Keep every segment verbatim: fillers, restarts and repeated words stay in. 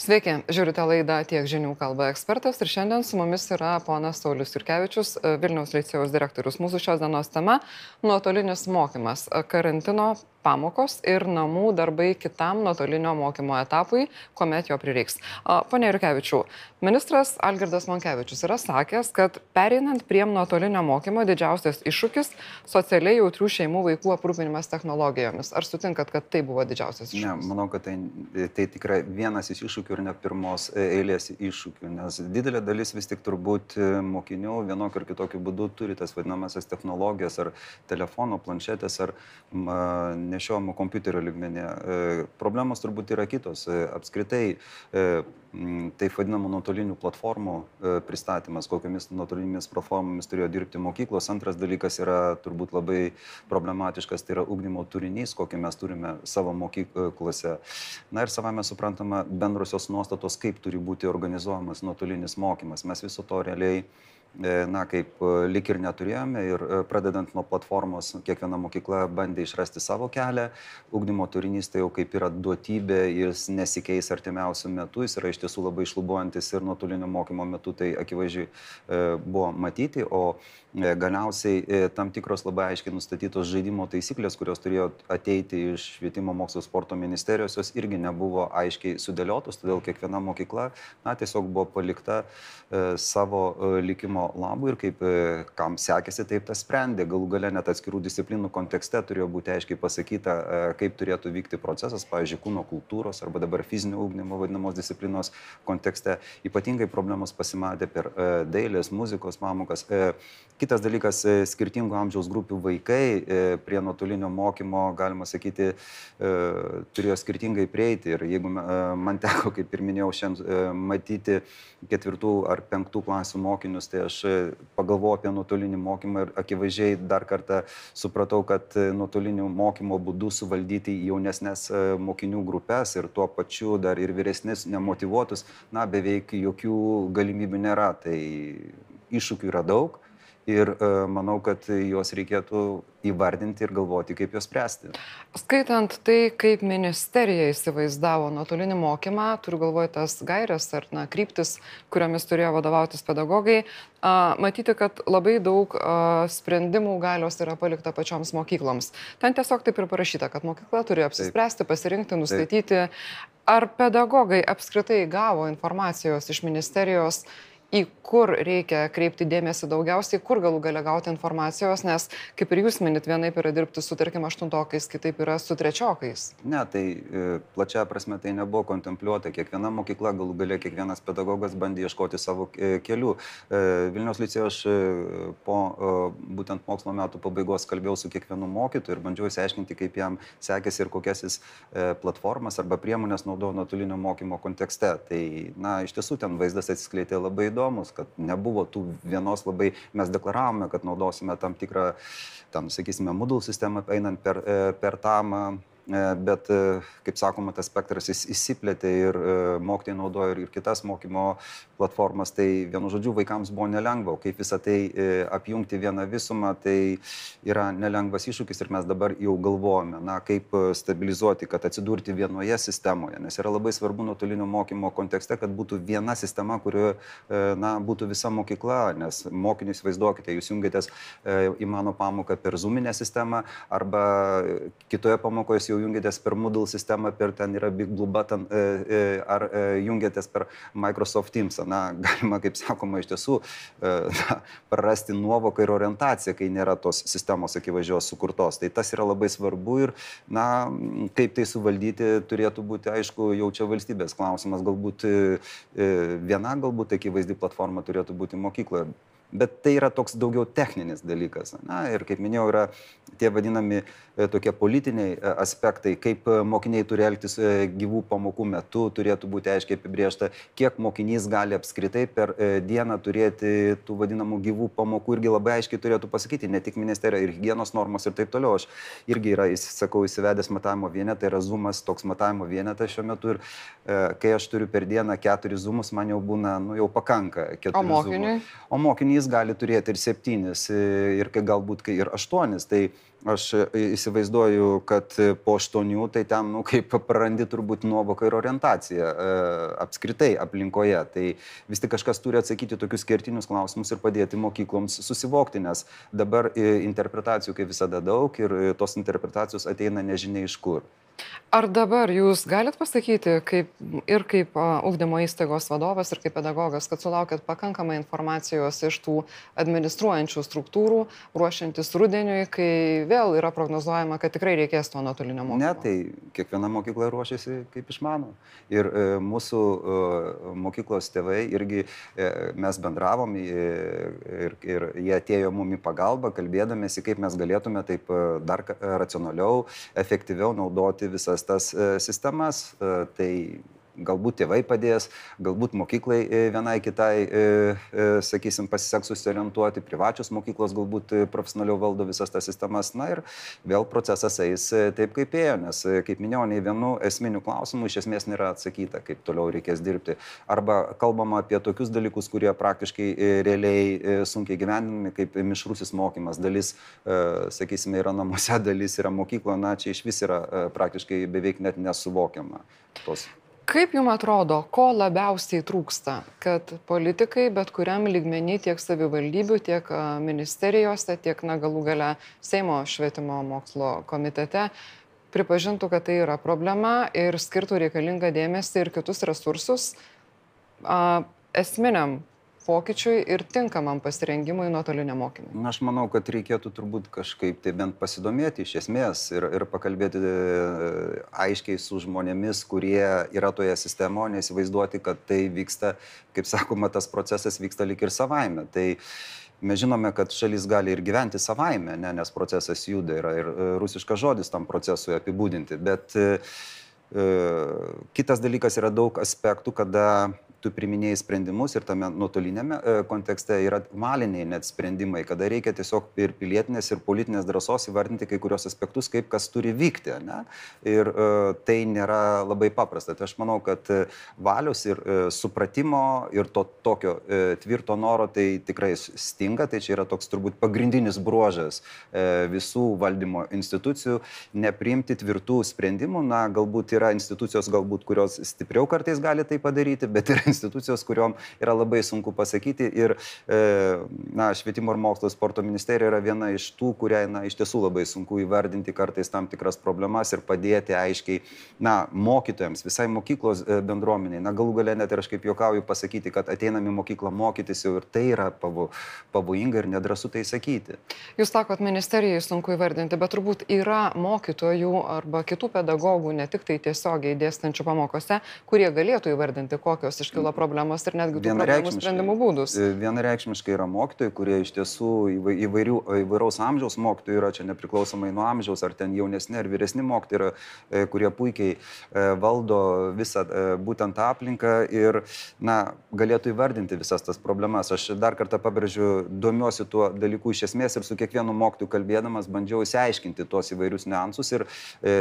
Sveiki, žiūrite laidą Tiek žinių kalba ekspertas ir šiandien su mumis yra ponas Saulius Jurkevičius, Vilniaus licėjaus direktorius. Mūsų šios dienos tema - nuotolinis mokymas, karantino pamokos ir namų darbai kitam nuotolinio mokymo etapui, kuomet jo prireiks. Pone Jurkevičiau, ministras Algirdas Monkevičius yra sakęs, kad pereinant prie nuotolinio mokymo didžiausias iššūkis - socialiai jautrių šeimų vaikų aprūpinimas technologijomis. Ar sutinkat, kad tai buvo didžiausias iššūkis? Ne, manau, kad tai, tai tikrai vienas iš iššūkių ir ne pirmos eilės iššūkių, nes didelė dalis vis tik turbūt mokinių vienokiu ar kitokiu būdu turi tas vadinamasias technologijas ar telefono, planšetės ar ma, nešiojamo kompiuterio lygmenyje. Problemos turbūt yra kitos. Apskritai, taip vadinamų nuotolinių platformų pristatymas, kokiamis nuotolinėmis platformomis turėjo dirbti mokyklos. Antras dalykas yra turbūt labai problematiškas, tai yra ugdymo turinys, kokį mes turime savo mokyklose. Na ir savame suprantama bendrosios nuostatos, kaip turi būti organizuojamas nuotolinis mokymas. Mes viso to realiai na, kaip lik ir neturėjome ir pradedant nuo platformos, kiekviena mokykla bandė išrasti savo kelią. Ugdymo turinys tai jau kaip yra duotybė, jis nesikeis artimiausių metų, jis yra iš tiesų labai išlubuojantis ir nuotolinio mokymo metu tai akivaizdžiai buvo matyti, o galiausiai tam tikros labai aiškiai nustatytos žaidimo taisyklės, kurios turėjo ateiti iš Švietimo mokslo sporto ministerijos, jos irgi nebuvo aiškiai sudėliotos, todėl kiekviena mokykla na, tiesiog buvo palikta savo likimo labui ir kaip kam sekėsi, taip tas sprendė. Galų gale net atskirų disciplinų kontekste turėjo būti aiškiai pasakyta, kaip turėtų vykti procesas, pavyzdžiui, kūno kultūros arba dabar fizinio ugdymo vadinamos disciplinos kontekste. Ypatingai problemos pasimatė per dailės, muzikos pamokas. Kitas dalykas, skirtingų amžiaus grupių vaikai prie nuotolinio mokymo, galima sakyti, turėjo skirtingai prieiti. Ir jeigu man teko, kaip ir minėjau, šiandien matyti ketvirtų ar penktų klasių mokinius, tai aš pagalvojau apie nuotolinį mokymą ir akivaizdžiai dar kartą supratau, kad nuotolinių mokymo būdų suvaldyti jaunesnės mokinių grupės ir tuo pačiu dar ir vyresnis nemotyvuotus, na, beveik jokių galimybių nėra. Tai iššūkių yra daug. Ir uh, manau, kad juos reikėtų įvardinti ir galvoti, kaip juos spręsti. Skaitant tai, kaip ministerija įsivaizdavo nuotolinį mokymą, turiu galvoje tas gairias ar na, kryptis, kuriomis turėjo vadovautis pedagogai, uh, matyti, kad labai daug uh, sprendimų galios yra palikta pačioms mokykloms. Ten tiesiog taip ir parašyta, kad mokykla turi apsispręsti, pasirinkti, nustatyti. Taip. Ar pedagogai apskritai gavo informacijos iš ministerijos, į kur reikia kreipti dėmesį daugiausiai, kur galų gale gauti informacijos, nes, kaip ir jūs minit, vienaip yra dirbti su, tarkim, aštuntokais, kitaip yra su trečiokais. Ne, tai plačia prasme tai nebuvo kontempliuota. Kiekviena mokykla, galų gale kiekvienas pedagogas bandė ieškoti savo kelių. Vilniaus licėje aš po būtent mokslo metų pabaigos kalbėjau su kiekvienu mokytoju ir bandžiau įsiaiškinti, kaip jam sekėsi ir kokias jis platformas arba priemonės naudojo nuotolinio mokymo kontekste. Tai, na, iš tiesų ten vaizdas atsiskleidė labai įdomu, kad nebuvo tų vienos labai, mes deklaravome, kad naudosime tam tikrą, tam, sakysime, Moodle sistemą einant per, per tam, bet, kaip sakoma, tas spektras įsiplėtė ir mokytojai naudojo ir kitas mokymo platformas, tai vienu žodžiu vaikams buvo nelengva, kaip visą tai apjungti vieną visumą, tai yra nelengvas iššūkis ir mes dabar jau galvojame, na, kaip stabilizuoti, kad atsidurti vienoje sistemoje, nes yra labai svarbu nuotolinio mokymo kontekste, kad būtų viena sistema, kurioje, na, būtų visa mokykla, nes mokinius vaizduokite, jūs jungiatės į mano pamoką per Zoominę sistemą arba kitoje pamokoje jau jungiatės per Moodle sistemą, per ten yra Big Blue Button, ar jungiatės per Microsoft Teams. Na, galima, kaip sakoma, iš tiesų na, prarasti nuovoką ir orientaciją, kai nėra tos sistemos akivaizdžios sukurtos. Tai tas yra labai svarbu ir, na, kaip tai suvaldyti turėtų būti, aišku, jau čia valstybės klausimas. Galbūt viena, galbūt akivaizdi platforma turėtų būti mokykloje. Bet tai yra toks daugiau techninis dalykas. Na, ir kaip minėjau, yra tie vadinami e, tokie politiniai e, aspektai, kaip mokiniai turi elgtis e, gyvų pamokų metu, turėtų būti aiškiai apibriešta, kiek mokinys gali apskritai per e, dieną turėti tų vadinamų gyvų pamokų, irgi labai aiškiai turėtų pasakyti, ne tik ministerija, ir higienos normos ir taip toliau. Aš irgi yra, sakau, įsivedęs matavimo vienetą, yra zoomas toks matavimo vienetas šiuo metu ir e, kai aš turiu per dieną keturis zoomus, man jau būna, nu jau pakanka keturių zoomų. O mokiniui? O mokinys penkis gali turėti ir septynis, ir kai galbūt kai ir aštuonis. Tai aš įsivaizduoju, kad po aštuonių tai ten, nu, kaip prarandi turbūt nuovoką ir orientaciją e, apskritai aplinkoje. Tai vis tik kažkas turi atsakyti tokius kertinius klausimus ir padėti mokykloms susivokti, nes dabar interpretacijų kaip visada daug ir tos interpretacijos ateina nežinia iš kur. Ar dabar jūs galit pasakyti, kaip, ir kaip uh, ugdymo įstaigos vadovas, ir kaip pedagogas, kad sulaukėt pakankamai informacijos iš tų administruojančių struktūrų, ruošiantis rudeniui, kai vėl yra prognozuojama, kad tikrai reikės to nuotolinio mokymo? Ne, tai kiekviena mokykla ruošiasi kaip išmano. Ir e, mūsų e, mokyklos tėvai irgi e, mes bendravom e, ir, ir jie atėjo mum į pagalbą, kalbėdamėsi, kaip mes galėtume taip e, dar racionaliau, efektyviau naudoti visas tas e, sistemas. E, tai galbūt tėvai padės, galbūt mokyklai vienai kitai, e, e, sakysim, pasiseks susiorientuoti, privačios mokyklos galbūt profesionaliau valdo visas tas sistemas. Na ir vėl procesas eis taip, kaip ėjo, nes, kaip minėjau, nei vienu esminiu klausimu iš esmės nėra atsakyta, kaip toliau reikės dirbti. Arba kalbama apie tokius dalykus, kurie praktiškai e, realiai e, sunkiai gyvendinami, kaip mišrusis mokymas. Dalis, e, sakysime, yra namuose, dalis yra mokyklo, na čia iš vis yra e, praktiškai beveik net nesuvokiama tos. Kaip jums atrodo, ko labiausiai trūksta, kad politikai bet kuriam lygmenį tiek savivaldybių, tiek ministerijose, tiek na, galų gale Seimo švietimo mokslo komitete pripažintų, kad tai yra problema ir skirtų reikalingą dėmesį ir kitus resursus a, esminiam pokyčiui ir tinkamam pasirengimui nuotoliniam mokymui? Na, aš manau, kad reikėtų turbūt kažkaip tai bent pasidomėti iš esmės ir, ir pakalbėti aiškiai su žmonėmis, kurie yra toje sistemoje, neįsivaizduoti, kad tai vyksta, kaip sakoma, tas procesas vyksta lik ir savaime. Tai mes žinome, kad šalis gali ir gyventi savaime, ne, nes procesas juda, yra ir rusiškas žodis tam procesui apibūdinti, bet e, kitas dalykas yra daug aspektų, kada tu priminėjai sprendimus ir tame nuotolinėme kontekste yra valiniai net sprendimai, kada reikia tiesiog ir pilietinės, ir politinės drąsos įvardinti kai kurios aspektus, kaip kas turi vykti. Ne? Ir uh, tai nėra labai paprasta. Tai aš manau, kad valios ir uh, supratimo ir to tokio uh, tvirto noro tai tikrai stinga. Tai čia yra toks turbūt pagrindinis bruožas uh, visų valdymo institucijų nepriimti tvirtų sprendimų. Na, galbūt yra institucijos, galbūt, kurios stipriau kartais gali tai padaryti, bet yra institucijos, kuriuom yra labai sunku pasakyti ir e, na, švietimo ir mokslo sporto ministerija yra viena iš tų, kuriai na, iš tiesų labai sunku įvardinti kartais tam tikras problemas ir padėti aiškiai na, mokytojams, visai mokyklos bendruomeniai. Na, galų gale net ir aš kaip juokauju pasakyti, kad ateinam į mokyklą mokytis jau ir tai yra pavo, pavojinga ir nedrąsu tai sakyti. Jūs sakot, ministerijai sunku įvardinti, bet turbūt yra mokytojų arba kitų pedagogų, ne tik tai tiesiogiai dėstančių pamokose, kurie galėtų įvardinti, kokios iškilo problemos ir netgi tų problemų sprendimų būdus. Vienareikšmiškai yra mokytojai, kurie iš tiesų įvairių, įvairaus amžiaus mokytojų yra, čia nepriklausomai nuo amžiaus, ar ten jaunesni ar vyresni mokytojai yra, kurie puikiai valdo visą būtent aplinką ir na, galėtų įvardinti visas tas problemas. Aš dar kartą pabrėžiu, domiuosi tuo dalyku iš esmės ir su kiekvienu mokytoju kalbėdamas bandžiau įsiaiškinti tuos įvairius niuansus ir e,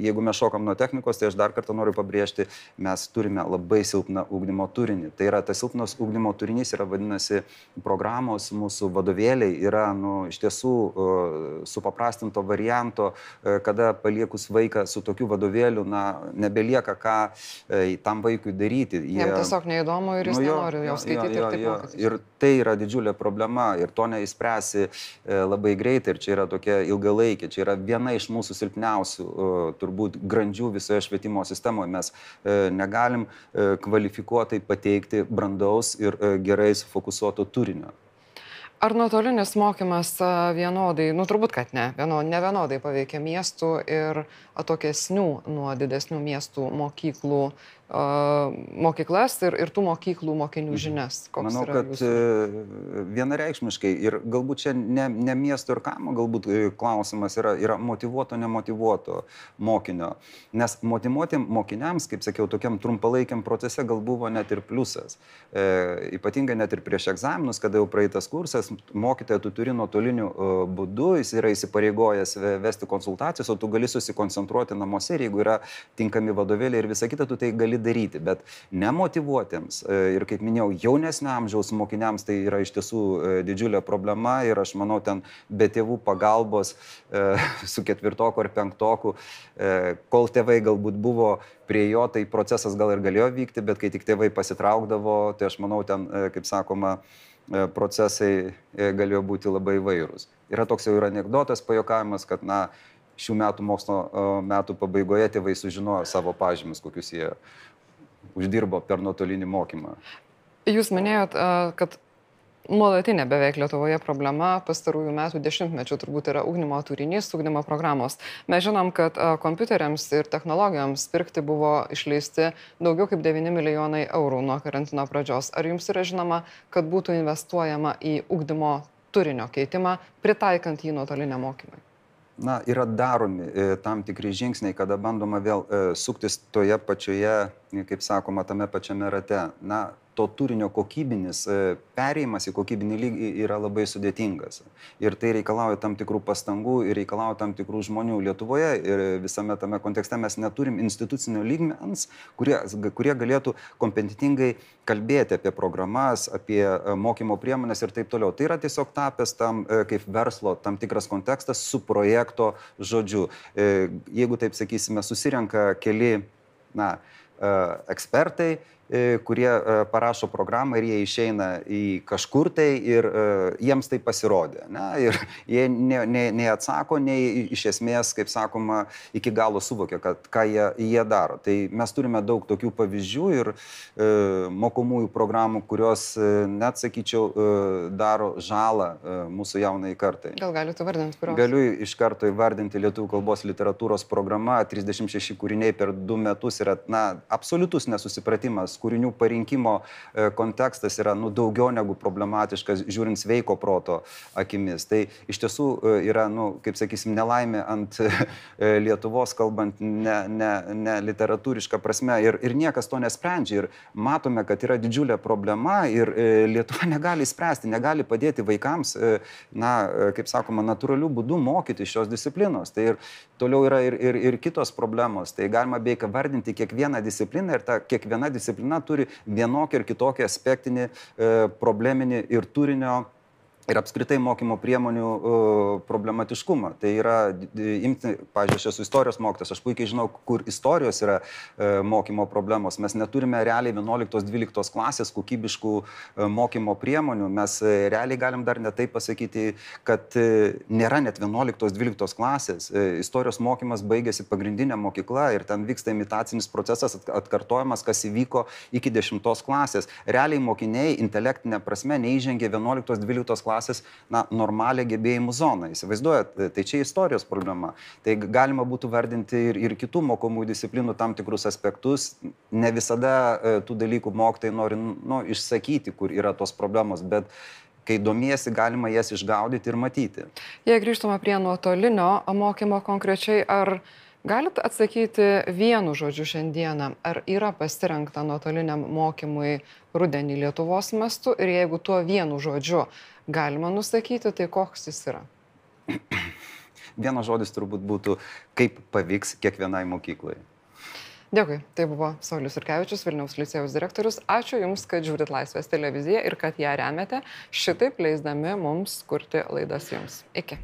jeigu mes šokam nuo technikos, tai aš dar kartą noriu pabrėžti, mes turime labai silpną ugdymo turinį. Tai yra, tas silpnas ugdymo turinys yra, vadinasi, programos, mūsų vadovėliai yra, nu, iš tiesų uh, supaprastinto varianto, uh, kada paliekus vaiką su tokiu vadovėliu, na, nebelieka ką uh, tam vaikui daryti. Jie, Jam tiesiog neįdomu ir jis nu, jo, nenori jo skaityti jo, jo, ir taip mokytis. Ir tai yra didžiulė problema ir to neįspręsi uh, labai greitai ir čia yra tokia ilgalaikė, čia yra viena iš mūsų silpniausių, uh, turbūt, grandžių visoje švietimo sistemoje. Mes uh, negalim uh, kvalifikuoti pateikti brandaus ir gerai sufokusuoto turinio. Ar nuotolinis mokymas vienodai, nu turbūt, kad ne, vieno, ne vienodai paveikia miestų ir atokesnių nuo didesnių miestų mokyklų, uh, mokyklas ir, ir tų mokyklų mokinių žinias? Koks Manau, kad jūsų? Vienareikšmiškai ir galbūt čia ne, ne miesto ir kaimo, galbūt klausimas yra, yra motyvuoto, nemotyvuoto mokinio. Nes motyvuoti mokiniams, kaip sakiau, tokiam trumpalaikiam procese gal buvo net ir pliusas. E, ypatingai net ir prieš egzaminus, kada jau praeitas kursas, mokytoją tu turi nuotoliniu būdu, jis yra įsipareigojęs vesti konsultacijas, o tu gali susikoncentruoti namuose ir jeigu yra tinkami vadovėliai ir visa kita, tu tai gali gali daryti, bet nemotyvuotiems ir, kaip minėjau, jaunesnio amžiaus mokiniams tai yra iš tiesų didžiulė problema ir aš manau, ten be tėvų pagalbos su ketvirtoku ar penktoku, kol tėvai galbūt buvo prie jo, tai procesas gal ir galėjo vykti, bet kai tik tėvai pasitraukdavo, tai aš manau, ten, kaip sakoma, procesai galėjo būti labai įvairūs. Yra toks jau ir anekdotas, pajuokavimas, kad, na, šių metų mokslo metų pabaigoje tėvai sužinojo savo pažymius, kokius jie uždirbo per nuotolinį mokymą. Jūs minėjot, kad nuolatinė beveik Lietuvoje problema pastarųjų metų dešimtmečių turbūt yra ugdymo turinys, ugdymo programos. Mes žinom, kad kompiuteriams ir technologijoms pirkti buvo išleisti daugiau kaip devyni milijonai eurų nuo karantino pradžios. Ar jums yra žinoma, kad būtų investuojama į ugdymo turinio keitimą, pritaikant jį nuotoliniam mokymui? Na, yra daromi e, tam tikri žingsniai, kada bandoma vėl e, suktis toje pačioje, kaip sakoma, tame pačiame rate. Na, to turinio kokybinis e, perėjimas į kokybinį lygį yra labai sudėtingas. Ir tai reikalauja tam tikrų pastangų ir reikalauja tam tikrų žmonių. Lietuvoje ir visame tame kontekste mes neturim institucinio lygmens, kurie, kurie galėtų kompetentingai kalbėti apie programas, apie mokymo priemonės ir taip toliau. Tai yra tiesiog tapęs tam kaip verslo tam tikras kontekstas su projekto žodžiu. Jeigu taip sakysime, susirenka keli, na, ekspertai, kurie parašo programą ir jie išeina į kažkur tai ir jiems tai pasirodė. Ne? Ir jie ne, ne, neatsako, nei iš esmės, kaip sakoma, iki galo suvokia, kad ką jie, jie daro. Tai mes turime daug tokių pavyzdžių ir e, mokomųjų programų, kurios, net sakyčiau, e, daro žalą e, mūsų jaunai kartai. Gal galite vardinti, kurios? Galiu iš karto įvardinti lietuvių kalbos literatūros programa, trisdešimt šeši kūriniai per du metus yra, na, absoliutus nesusipratimas. Kūrinių parinkimo kontekstas yra, nu, daugiau negu problematiškas, žiūrint sveiko proto akimis. Tai iš tiesų yra, nu, kaip sakysim, nelaimė ant Lietuvos, kalbant ne, ne, ne literatūrišką prasme. Ir, ir niekas to nesprendžia. Ir matome, kad yra didžiulė problema ir Lietuva negali spręsti, negali padėti vaikams, na, kaip sakoma, natūralių būdų mokyti šios disciplinos. Tai ir toliau yra ir, ir, ir kitos problemos. Tai galima beveik vardinti kiekvieną discipliną ir ta kiekviena disciplina turi vienokį ir kitokį aspektinį, e, probleminį ir turinio ir apskritai mokymo priemonių uh, problematiškumą. Tai yra, imti, pavyzdžiui, aš esu istorijos mokytojas, aš puikiai žinau, kur istorijos yra uh, mokymo problemos. Mes neturime realiai vienuoliktos dvyliktos klasės kokybiškų uh, mokymo priemonių. Mes uh, realiai galim dar ne taip pasakyti, kad uh, nėra net vienuoliktos dvyliktos klasės. Uh, istorijos mokymas baigėsi pagrindinė mokykla ir ten vyksta imitacinis procesas, atkartojimas, kas įvyko iki dešimtos klasės. Realiai mokiniai intelektinė prasme neįžengė vienuoliktos dvyliktos klasės, na, normalią gebėjimų zoną. Įsivaizduojat, tai čia istorijos problema. Tai galima būtų vardinti ir, ir kitų mokomųjų disciplinų tam tikrus aspektus. Ne visada e, tų dalykų mokytojai nori, nu, išsakyti, kur yra tos problemos, bet kai domiesi, galima jas išgaudyti ir matyti. Jei grįžtume prie nuotolinio mokymo konkrečiai, ar galit atsakyti vienu žodžiu šiandieną, ar yra pasirinkta nuotoliniam mokymui rudenį Lietuvos mastu ir jeigu tuo vienu žodžiu galima nusakyti, tai koks jis yra? Vienas žodis turbūt būtų, kaip pavyks kiekvienai mokyklai. Dėkui. Tai buvo Saulius Jurkevičius, Vilniaus licėjaus direktorius. Ačiū Jums, kad žiūrit Laisvės televiziją ir kad ją remiate, šitaip leisdami mums kurti laidas Jums. Iki.